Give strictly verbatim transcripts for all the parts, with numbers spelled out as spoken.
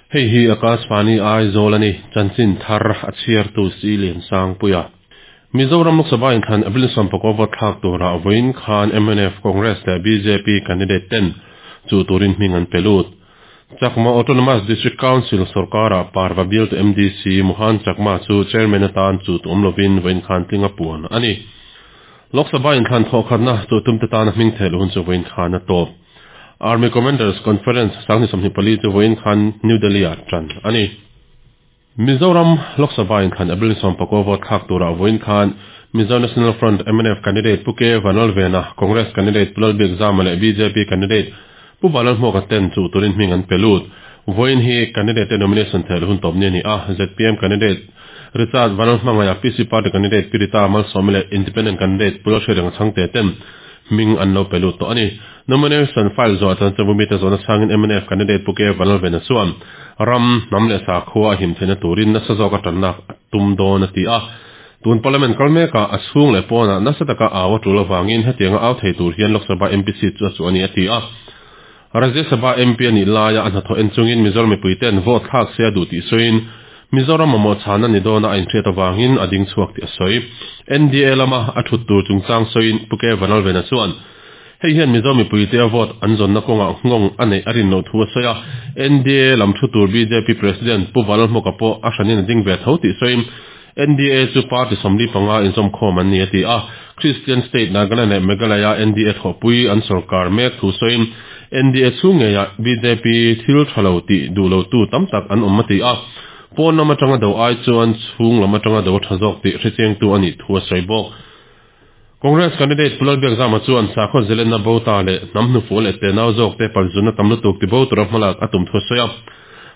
Hei hi Akashvani Aizawl ani chanchin thar a chhiar tu si lian sang puia. Mizoram Lok Sabha inthlan April sawmpakua vote thlak tura vawiin khan M N F, Congress leh B J P candidate ten chu turin hming an pe lut. Chakma Autonomous District Council sorkara Parva bial tu M D C Mohan Chakma chu chairman atan chu tu awm lovin vawiin khan tlinga puan ani. Lok Sabha inthlan thawh khatna chu tumte tana hming theh hun chu vawiin khan a tawp. Army Commanders Conference sangni sawmhnih pali chu vawiin khan New Delhi ah tan ani. Mizoram Lok Sabha inthlan April sawmpakua vote thlak tura vawiin khan Mizo National Front M N F candidate Pu K Vanlalvena, Congress candidate Pu Lalbiakzama leh B J P candidate Pu Vanlalhmuaka ten chu turin hming an pe lut. Vawiin hi candidate nomination theh hun tawp ni ani a. Z P M candidate Richard Vanlalhmangaiah, P C Party candidate Pirita Malsawmi leh Independent candidate Pu Lalhriatrenga Chhangte ten hming an lo pe lut tawh ani. Nomination file zawh chan chabu mi te zawhna chhangin M N F candidate Pu K Vanlalvena chuan ram hnam leh sakhua a him theihna turin nasa zawk a tanna tum dawn a ti a. Tun parliament kal meka a chhung leh pawna nasa taka aw a tul awangin hetianga au thei tur hian Lok Sabha M P seat chu a chu ani a ti a. Rajya Sabha M P ani laia a hnathawh en chungin Mizoram mipui ten vote thlak se a duh tih sawiin Mizoram mamawh chhana ni dawna a inhriat awangin a ding chhuak tih a sawi. N D A lama a thut tur chungchang sawiin Pu K Vanlalvena chuan hei hian Mizo mipui te a vote an zawnna kawngah nghawng a neih a rin loh thu a sawi a. N D A lam thu tur B J P President Pu Vanlalhmuaka pawh a hranin a ding ve tho tih sawiin N D A chu party sawmli panga inzawm khawm an ni a ti a. Christian State Nagaland leh Meghalaya N D A thawhpui an sorkar mek thu sawiin N D A chhung ngeia B J P thil thalo tih duh lo tu tam tak an awm a ti a. Pawn lam atanga do ai chuan chhung lam atanga do tha zawk tih hrechiang tu ani thu a sawi bawk. Congress candidate Pu Lalbiakzama chuan sakhaw zalenna bo ta leh hnam hnufu leh tenau zawk te palzuna tam lutuk ti bo tura hmalak a tum thu a sawi a.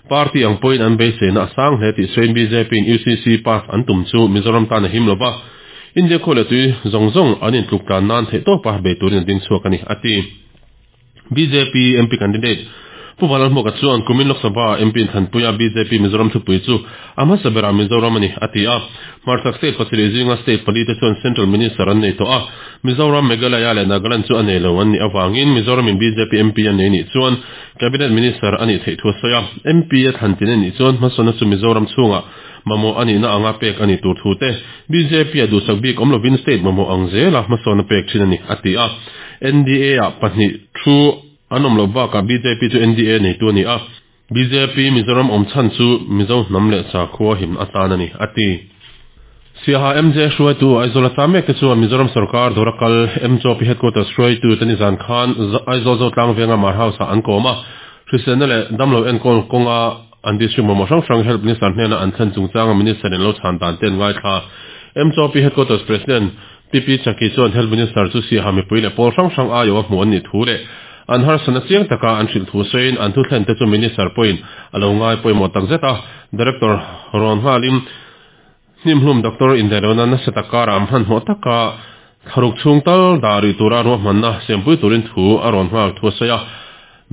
Party ang pawhin an beiseina a sang hle tih sawiin B J P in U C C pass an tum chu Mizoram tan a him lova. India khaw leh tui zawng zawng an intluk tlan nan theih tawpa bei turin a ding chhuak ani a ti. B J P M P candidate Pu Vanlalhmuaka chuan kumin Lok Sabha M P Thanpuia B J P Mizoram thupui chu a hmasa berah Mizoram ani a ti a. Hmarchhak state pasarih zinga state pali te chuan Central Minister an nei tawh a. Mizoram, Meghalaya leh Nagaland chu a nei lo an nih awangin Mizoram in B J P M P an nei nih chuan Cabinet Minister ani theih thu a sawi a. M P a thlan tin anih chuan hmasawnna chu Mizoram chhungah mamawh ani na anga pek ani tur thu te B J P a duhsak bik awm lovin state mamawh ang zela hmasawnna pek thin ani a ti a. N D A ah pahnih thu an awm lo bakah B J P chu N D A nei tu ani a. B J P Mizoram awm chhan chu Mizo hnam leh sakhua him atan ani a ti. Siaha M J hruaitu Aizawl a mek te chuan Mizoram sarkar Dorakal M J P headquarters hruaitu tani zan khan Aizawl zo tlang venga Mar House ah an kawm a. Hriselna leh damlo enkawl kawnga an district mamawh hrang hrang Health Minister hnena an thlen chungchanga Minister in lo chhan dan ten ngai thla. M J P headquarters President P P Chaki chuan Health Minister chu Siaha mipui leh pawl hrang hrang aio a hmu an ni thu leh an harsana chiang taka an hrilh thu sawiin an thu thlen te chu Minister pawhin a lo ngai pawimawh tak zet a. Director rawn nghalin hnimhlum doctor indaihlohna nasa takara am hmanhmawh taka thlaruk chhung tal dari tura ruahmanna siampui turin thu a rawn nghal thu a sawi a.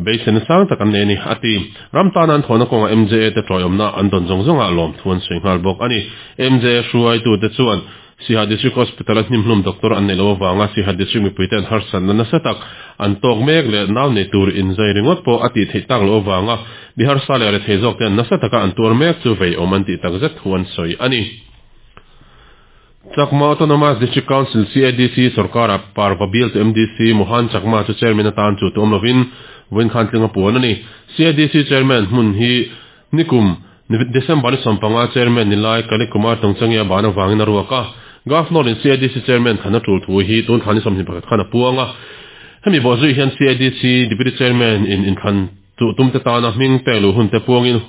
Beiseina sang tak an nei ani a ti. Ram tan an thawhna kawnga M J A te tawiawmna an dawn zawng zawnga lawm thu an sawi nghal bawk ani. M J A hruaitu te chuan Siaha District Hospital a hnimhlum doctor an nei lo awanga Siaha District mipui te an harsatna nasa tak an tawk mek leh nau nei tur inzai ringawt pawh a tih theih tak lo awanga Bihar sa leh rethei zawk te an nasa taka an tuar mek chu vei awm an tih tak zet thu an sawi ani. Chakma Autonomous District Council C A D C sarkara Parva bial tu M D C Mohan Chakma chu chairman atan chu tu awm lovin vawiin khan tlinga puan ani. C A D C chairman hmun hi nikum December ni sawmpanga chairman ni lai Kali Kumar Tongchangia bana wangin a ruak a. Governor in C A D C chairman thana tul thu hi tun thani sawmhnih pakhat khan a puanga. Hemi bo zui hian C A D C deputy chairman in inthlan tu tum te tana hming pe lu hun te puangin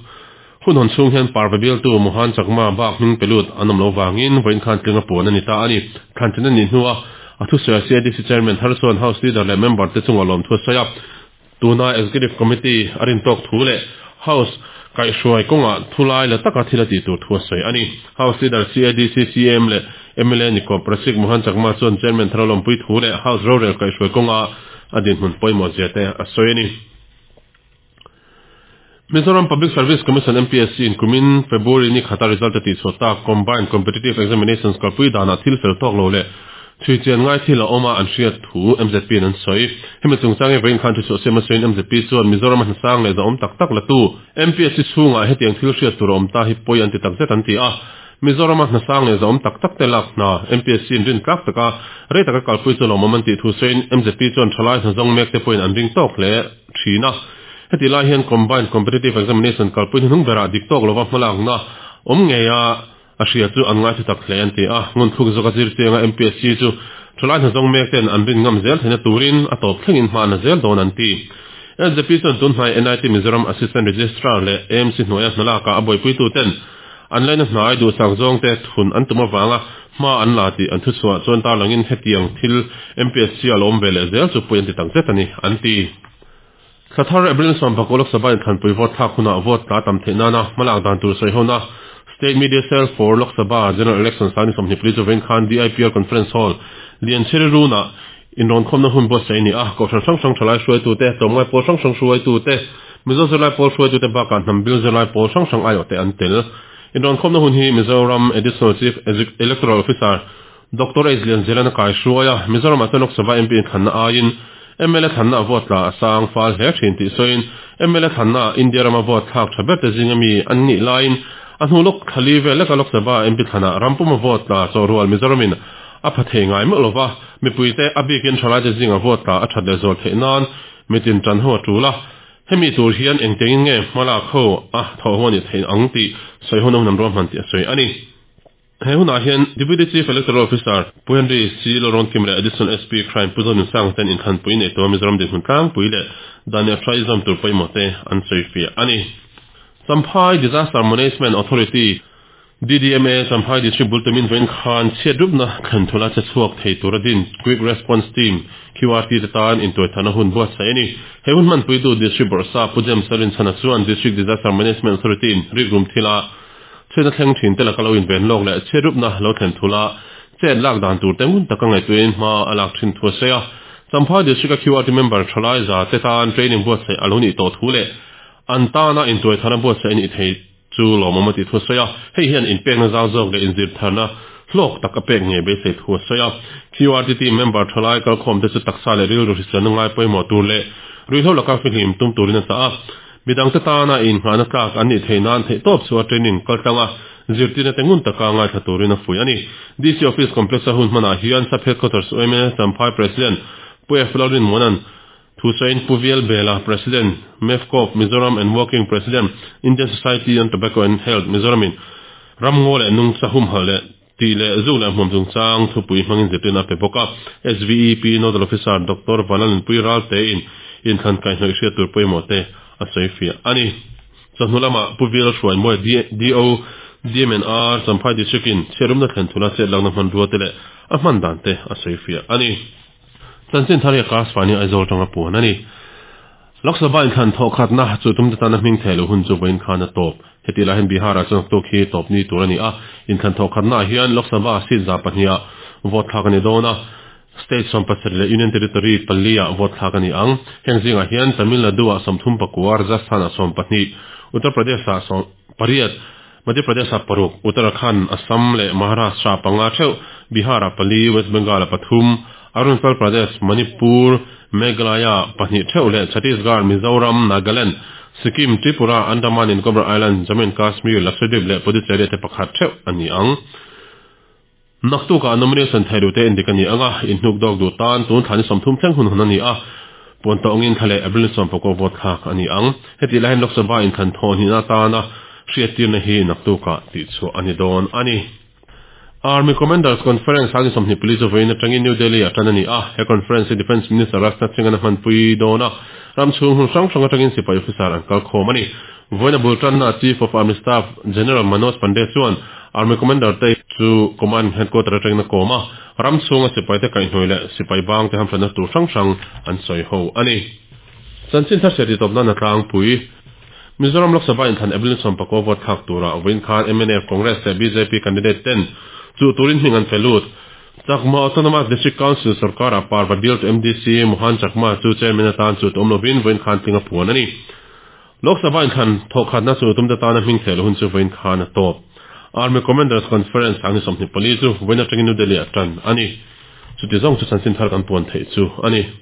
hun hon chung hian Parva bial tu Mohan Chakma bak hming pelut an awm lo wangin vawiin khan tlinga puan ani ta ani. Thlan tin ani hnuah a thu sawi C A D C chairman thar chuan House leader leh member te chunga lawm thu a sawi a. Tuna executive committee a rin tawk thu leh House kai hruai kawnga thulai la taka thil a tih tur thu a sawi ani. House leader C A D C C M leh M L A ni Prasik Mohan Chakma chuan chairman thar lawmpui thu leh House rorel kai hruai kawnga a dinhmun pawimawh zia te a sawi ani. Mizoram Public Service Commission M P S C in kumin February ni khata result ti chhota Combined Competitive Examinations kalpui dana thil fel tawk lo leh Chui chian ngai thil a awma an hriat thu M Z P an sawi. Hemi chungchang hi vawiin khan thu chhuah siam a sawiin M Z P chuan Mizoram a hnasang leh zahawm tak tak la tu M P S C chhungah hetiang thil hriat tur a awm ta hi pawi an ti takzet an ti a. Mizoram a hnasang leh zahawm tak tak te lak hna M P S C in rin tlak taka rei taka kalpui chu lawmawm an tih thu sawiin M Z P chuan thalai hnazawng mek te pawhin an ring tawk hle thin a. Heti lai hian Combined Competitive Examination kalpui hnuhnung berah dik tawk lova hmalakna awm ngei a a hria chu an ngai thu tak hle an ti a. Ngun thluk zawka zir chianga M P S C chu thalai hnazawng mek ten an rin ngam zel theihna turin a tawp thlengin hma na zel dawn an ti. M Z P chuan tun hnai N I T Mizoram Assistant Registrar leh A M C hnuaia hnalaka a buaipui tu ten an laina hnai duhsak zawng te thun an tum awanga hma an la ti an thu chhuah chuan tarlangin hetiang thil M P S C a lawm ve leh zel chu pui an ti takzet ani an ti. Thlathar April sawm pakua Lok Sabha inthlanpui vote thlak hunah vote tla tam theih nana hmalak dan tur sawi hona State Media Cell for Lok Sabha General Election sani sawmhnih pali chu vawiin khan D I P R Conference Hall Lianchhiari Runa inrawn khawmna hun buatsaih ni a. Kohhran hrang hrang thalai hruaitu te, tlawmngai pawl hrang hrang hruaitu te, Mizo zirlai pawl hruaitu te bakah hnam bil zirlai pawl hrang hrang aiawh te an tel. Inrawn khawmna hun hi Mizoram Additional Chief Electoral Officer Doctor H Lianzelana kai hruaia. Mizoram ah chuan Lok Sabha M P inthlanna aiin M L A thlanna vote tla a sang fal hle thin tih sawiin M L A thlanna India rama vote thlak tha ber te zinga mi an nih laiin a hnu lok thali vel leka Lok Sabha M P thlana rampuma vote tla chawhrual Mizoramin a pha thei ngai meuh lova. Mipuite a bikin thalai te zinga vote tla a that leh zual theih nan mitin tan ho a tula. Hemi tur hian engtengin nge hmalak ho a tho ho ni thein ang ti sawi hun nam ro hman ti a sawi ani. He hunah hian Deputy Chief Electoral Officer Pu Henry C Loron Kim leh Additional S P Crime Pu Zonin Sang ten inthlanpui nei to Mizoram dinhmun tlangpui leh Daniel Trizom tur pawimawh te an sawi fiah ani. Champhai Disaster Management Authority D D M A Champhai District Bultumin vawiin khan chhiat rupna thlen thula che chhuak thei tur a din Quick Response Team Q R T te tan intuaithana hun buatsaih ani. He hun hman puitu District Bawrhsap Pu James Sarin chhana chuan District Disaster Management Authority in rik rum thila chhena thleng thin te laka lo in ven lawk leh chhiat rupna lo thlen thula chet lak dan tur te ngun taka ngaihtuahin hma a lak thin thu a sawi a. Champhai District a Q R T member thalai za te tan training buatsaih a lo nih tawh thu leh an tana intuaithana buatsaih ani thei chu lawmawm a ti thu a sawi a. Hei hian inpekna zau zawk leh inzir tharna hlawk tak a pek nge beisei thu a sawi a. Q R T team member thalai kalkhawm te chu taksa leh rilru hriselna ngai pawimawh tur leh ruihhlo laka fihlim tum turin a chah a. Midang te tana in nghahna tlak an nih theih nan theih tawp chu a training kaltlanga zirtirna te ngun taka ngai thla turin a fui ani. D C Office Complex a hun hmanah hian Sub Headquarters U M A Champhai President Pu F Lalrin Monan thu sawiin Pu V L Bela, President MEFCOF Mizoram and Working President, Indian Society on Tobacco and Health Mizoramin ramngaw leh nungcha humhalh leh ti leh zu leh hmuam chungchang thupui hmangin zirtirna pe bawk a. S V E P Nodal Officer Doctor Vanlalin Pui Ral te in inthlan kaihhnawih hriat tur pawimawh te a sawi fiah ani. Chawhnu lama Pu V L Hruai Mawi, D O D M N R Champhai District in chhiat rumna thlen thula chet lakna hman rua te leh a hman dan te a sawi fiah ani. Chanchin thar hi Akashvani Aizawl tanga puan ani. Lok Sabha inthlan thawh khatna chu tum te tana hming thei lo hun chu vawiin khan a tawp. Heti lai hian Bihar ah chuan tuk hi tawp ni tur ani a. Inthlan thawh khatna hian Lok Sabha seat za pahnih vote thlak ani dawn a. State sawm pasarih leh Union Territory pali ah vote thlak ani ang. Heng zingah hian Tamil Nadu ah sawmthum pakua, Rajasthan ah sawm pahnih, Uttar Pradesh ah sawm pariat, Madhya Pradesh ah paruk, Uttarakhand, Assam leh Maharashtra panga theuh, Bihar ah pali, West Bengal ah pathum, Arunachal Pradesh, Manipur, Meghalaya pahnih theuh leh Chhattisgarh, Mizoram, Nagaland, Sikkim, Tripura, Andaman and Nicobar Island, Jammu and Kashmir, Lakshadweep leh Puducherry te pakhat theuh ani ang. Naktuka nomination theiru te indik ani anga. In hnuk dawk du tan tun thani sawmthum thleng hun hun ani a. Puan tawngin thlale April sawm pakua vote thlak ani ang. Heti lai hian Lok Sabha inthlan thaw ni na tana hriattirna hi naktuka tih chu ani dawn ani. Army Commanders Conference sang sawmhnih pali chu vawiin atangin New Delhi a tan ani a. He conference hi Defence Minister Rajnath Singh an hmanpui dawn a. Ram chhung hun hrang hrang atangin sipai officer an kal khawm ani. Vawiin bul tanna Chief of Army Staff General Manoj Pande chuan Army Commander te chu Command Headquarter atangin a kawm a. Ram chhunga sipai te kaihhnawih leh sipai bang te hamhranna tur hrang hrang an sawi ho ani. Chanchin thar hriat tawp nan a tlangpui. Mizoram Lok Sabha inthlan April sawm pakua vote thlak tura vawiin khan M N F, Congress leh B J P candidate ten chu turin hming an felut. Chakma Autonomous District Council sarkar a Parva bial to M D C Mohan Chakma chu chairman atan chu awm lovin vawiin khan tling a puan ani. Lok Sabha inthlan thawh khatna chu tum te tana hming thel hun chu vawiin khan a tawp. Army Commanders Conference ang sawmhnih pali chu vawiin atangin New Delhi a tan ani. Chuti zawng chu chanchin thar kan puan theih chu a ni.